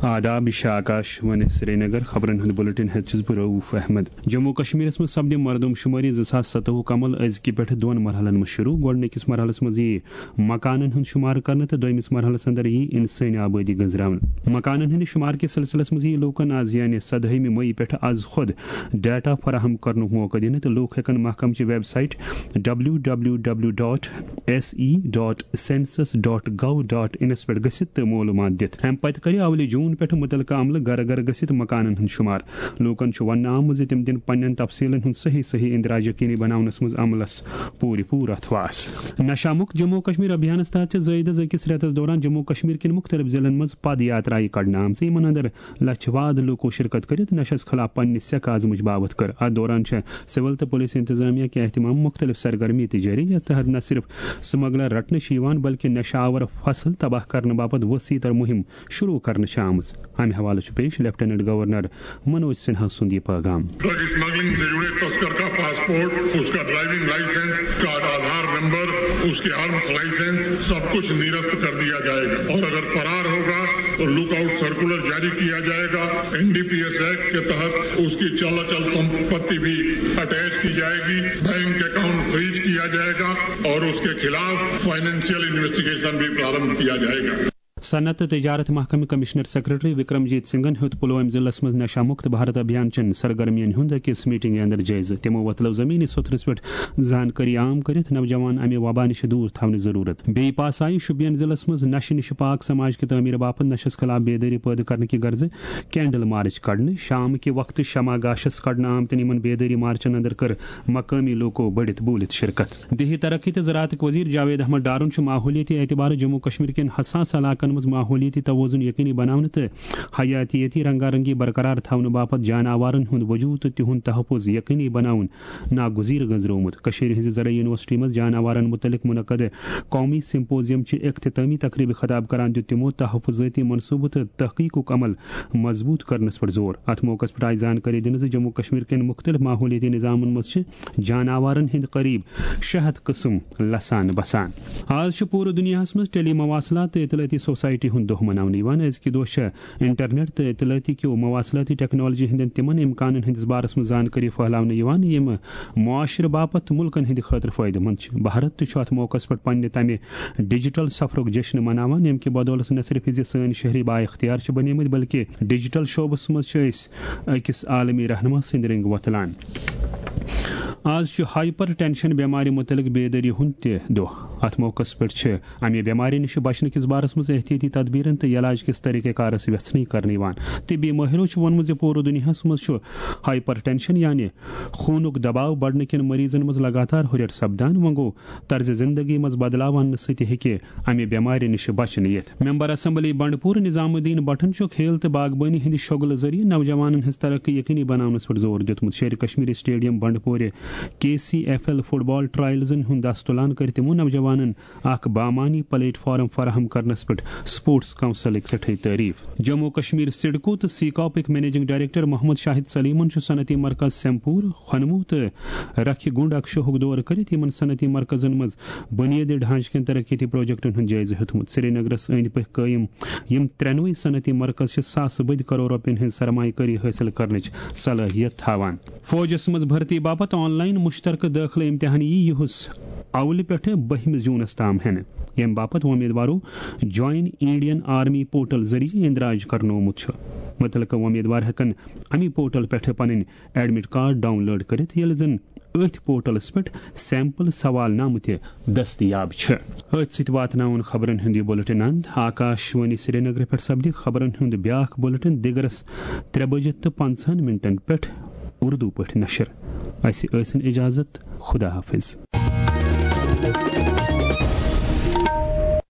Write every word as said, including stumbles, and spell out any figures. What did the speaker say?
آداب، یہِ چھِ آکاش وانی سرینگر۔ خبرن ہُنٛد بُلٹن ہیٚتھ چھُس بہٕ رؤف احمد۔ جموں کشمیرس منٛز سپدِ مردم شمٲری زٕ ساس ستوُہ کمل أزکہِ پٮ۪ٹھ دۄن مرحلن منٛز شروع۔ گۄڈٕنِکِس مرحلس منٛز یِیہِ مکانن ہُنٛد شمار کرنہٕ تہٕ دوٚیمِس مرحلس اندر یِیہِ انسٲنی آبٲدی گٔنزراونہٕ۔ مکانن ہٕنٛدِ شمار کِس سلسلس منٛز یِیہِ لوٗکن از، یعنی سدٲہمہِ مئی پٮ۪ٹھ از خۄد ڈیٹا فراہم کرنُک موقعہٕ دِنہٕ تہٕ لوٗکھ ہٮ۪کن محکمہٕ چہِ website W W W dot S E dot census dot gov dot انس پٮ۪ٹھ گٔژھِتھ تہٕ معلوٗمات دِتھ۔ امہِ پتہٕ کرِ اولہِ جون پٮ۪ٹھ مُتعلقہٕ عملہٕ گرٕ گرٕ گٔژھِتھ مکانن ہُنٛد شمار۔ لوٗکن چھُ وننہٕ آمُت زِ تِم دِن پننٮ۪ن تفصیلن ہُنٛد صحیح صحیح اندراج یقینی بناونس منٛز عملس پوٗرٕ پوٗرٕ اتھواس۔ نشہ مکت جموں کشمیر ابھیانس تحت چھِ زٲیدس أکِس رٮ۪تس دوران جموں کشمیر کٮ۪ن مُختٔلِف ضلعن منٛز پد یاترایہِ کڑنہٕ آمژٕ، یِمن اندر لچھِ واد لوٗکو شرکت کٔرِتھ نشس خلاف پننہِ سیٚکھ آزمٲیش باپتھ کٔر۔ اتھ دوران چھےٚ سول تہٕ پولیس انتظامیہ کہِ اہتمام مُختٔلِف سرگرمی تہِ جٲری، یتھ تحت نہ صرف سمگلر رٹنہٕ چھِ یِوان، بلکہِ نشہ آور فصل تباہ کرنہٕ باپتھ وسیع تر مہم شروع کرنہٕ چھِ آمٕژ۔ امہِ حوالہٕ چھُ پیش لیفٹیننٹ گورنر منوج سنہا سُنٛد یہِ پیغام۔ ڈرگ اسمگلنگ سے جڑے تسکر کا پاسپورٹ، اس کا ڈرائیونگ لائسنس، اس کا آدھار نمبر، اس کے آرمز لائسنس، سب کچھ نرست کر دیا جائے گا اور اگر فرار ہوگا تو لک آؤٹ سرکولر جاری کیا جائے گا۔ N D P S act کے تحت اس کی چل اچل سمپتی بھی اٹیچ کی جائے گی، بینک اکاؤنٹ فریز کیا جائے گا اور اس کے خلاف فائنینشیل انویسٹیگیشن بھی پرارمبھ کیا جائے گا۔ صنعت تہٕ تجارت محکمہٕ کمشنر سیکرٹری وکرم جیت سنگھن ہیوٚت پلوامہِ ضلعس منٛز نشہ مکت بھارت ابھیان چٮ۪ن سرگرمین ہُنٛد أکِس میٹنگہِ اندر جٲیزٕ۔ تِمو وۄتلٲو زمینی سطحس پٮ۪ٹھ زانکٲری عام کٔرِتھ نوجوان امہِ وبا نِش دوٗر تھاونٕچ ضروٗرت۔ بیٚیہِ پاس آیہِ شُپین ضلعس منٛز نشہٕ نِش پاک سماج کہِ تعمیٖر باپتھ نشس خلاف بیدٲری پٲدٕ کرنہٕ کہِ غرضہٕ کینڈل مارچ کڑنہٕ۔ شام کہِ وقتہٕ شمع گاشس کڑنہٕ آمتٮ۪ن یِمن بیدٲری مارچن اندر کٔر مقٲمی لوٗکو بٔڑِتھ بوٗلِتھ شرکت۔ دیہی ترقی تہٕ زراعتٕکۍ وزیر جاوید احمد ڈارُن چھُ ماحولیٲتی اعتبارٕ جموں کشمیر کٮ۪ن حساس علاقن منٛز ماحولیٲتی توازن یقینی بناونہٕ تہٕ حیاتیٲتی رنگا رنگی برقرار تھاونہٕ باپتھ جاناوارن ہُنٛد وجود تہٕ تِہُنٛد تحفظ یقینی بناوُن ناگزیر گٔنزرومُت۔ کٔشیٖرِ ہٕنٛزِ زرعی یونیورسٹی منٛز جاناوارن مُتعلق منعقد قومی سمپوزیم چہِ اختتامی تقریبہِ خطاب کران دیُت تِمو تحفظٲتی منصوبہٕ تہٕ تحقیقُک عمل مضبوط کرنس پٮ۪ٹھ زور۔ اتھ موقعس پٮ۪ٹھ آیہِ زانکٲری دِنہٕ زِ جموں کشمیر کٮ۪ن مُختٔلِف ماحولیٲتی نظامن منٛز چھِ جاناوارن ہٕنٛدۍ قریب شےٚ ہتھ قٕسم لسان بسان۔ آز چھُ پوٗرٕ دُنیاہس منٛز ٹیلی مواصلات تہٕ اطلاعاتی سوسائٹی ہُنٛد دۄہ مناونہٕ یِوان۔ أزکہِ دۄہ چھےٚ انٹرنیٹ تہٕ اطلاعاتی کیو مواصلاتی ٹیکنالوجی ہٕنٛدٮ۪ن تِمن امکانن ہٕنٛدِس بارس منٛز زانکٲری پھٔہلاونہٕ یِوان، یِم معاشرٕ باپتھ تہٕ مُلکن ہٕنٛدِ خٲطرٕ فٲیدٕ مند چھِ۔ بھارت تہِ چھُ اتھ موقعس پٮ۪ٹھ پننہِ تمہِ ڈیجیٹل سفرُک جشن مناوان، ییٚمہِ کہِ بدولت نہ صرف زِ سٲنۍ شہری با اختیار چھِ بنیمٕتۍ، بلکہِ ڈیجیٹل شعبس منٛز چھِ أسۍ أکِس عالمی رہنما سٕنٛدۍ رنٛگۍ وۄتلان۔ آز چھُ ہائپر ٹینشن بٮ۪مارِ مُتعلق بیدٲری ہُنٛد تہِ دۄہ۔ اتھ موقعس پٮ۪ٹھ چھِ امہِ بٮ۪مارِ نِش بچنہٕ کِس بارس منٛز احتیاطی تدبیرن تہٕ علاج کِس طریقہ کارس ویژھنٕے کرنہٕ یِوان۔ طبی مٲہرو چھُ ووٚنمُت زِ پوٗرٕ دُنیاہس منٛز چھُ ہائپر ٹینشن یعنی خوٗنُک دباو بڑنہٕ کٮ۪ن مریضن منٛز لگاتار ہُرٮ۪ر سپدان۔ وۄنۍ گوٚو طرزِ زندگی منٛز بدلاو اننہٕ سۭتۍ ہیٚکہِ امہِ بٮ۪مارِ نِش بچنہٕ یِتھ۔ ممبر اسمبلی بنڈپور نظام الدین بٹن چھُ کھیل تہٕ باغبٲنی ہٕنٛدِ شوٚگلہٕ ذٔریعہٕ نوجوانن ہٕنٛز ترقی یقینی بناونس پٮ۪ٹھ زور دیُتمُت۔ شیرِ کشمیری اسٹیڈیم بنڈپورِ کے سی ایف ایل فٹ بال ٹرائلزن ہُنٛد دست تُلان کٔرۍ تِمو نوجوانن اکھ بامعنی پلیٹ فارم فراہم کرنس پٮ۪ٹھ سپورٹس کونسلٕکۍ سٮ۪ٹھٕے تعریف۔ جموں کشمیر سڈکو تہٕ سیکاپٕکۍ منیجنگ ڈائریکٹر محمد شاہد سلیمن چھُ صنعتی مرکز سیمپور، خۄنمو تہٕ رکھِ گنڈ اکشوہُک دورٕ کٔرِتھ یِمن صنعتی مرکزن منٛز بُنیٲدی ڈھانچہٕ کٮ۪ن ترقیتی پروجیکٹن ہُنٛد جٲیزٕ ہیوٚتمُت۔ سرینگرس أنٛدۍ پٔکۍ قٲیِم یِم ترٛٮ۪نوَے صنعتی مرکز چھِ ساسہٕ بٔدۍ کرور رۄپین ہٕنٛز سرمایہ کٲری حٲصِل کرنٕچ صلٲحیت تھاوان۔ فوجس منٛز بھرتی باپتھ آن لائن مشترکہٕ دٲخلہٕ امتحان یی یُہُس اولہِ پٮ۪ٹھٕ بٔہمِس جوٗنس تام ہٮ۪نہٕ، ییٚمہِ باپتھ وۄمیدوارو جوائن انڈین آرمی پورٹل ذٔریعہٕ اندراج کرنومُت چھُ۔ مُتعلقہٕ وۄمیدوار ہٮ۪کن اَمی پورٹل پٮ۪ٹھٕ پنٕنۍ ایڈمٹ کارڈ ڈاؤن لوڈ کٔرِتھ، ییٚلہِ زن أتھۍ پورٹلس پٮ۪ٹھ سیمپل سوال نامہٕ تہِ دٔستیاب چھِ۔ أتھۍ سۭتۍ واتناوُن خبرن ہُنٛد یہِ بُلٹن اند۔ آکاش وانی سرینگرٕ پٮ۪ٹھ سپدِ خبرن ہُنٛد بیٛاکھ بُلٹن دِگرس ترٛےٚ بجہِ تہٕ پنٛژاہن منٹن پٮ۪ٹھ اردو پٲٹھۍ نشر۔ اسہِ ٲسِن اجازت۔ خدا حافظ۔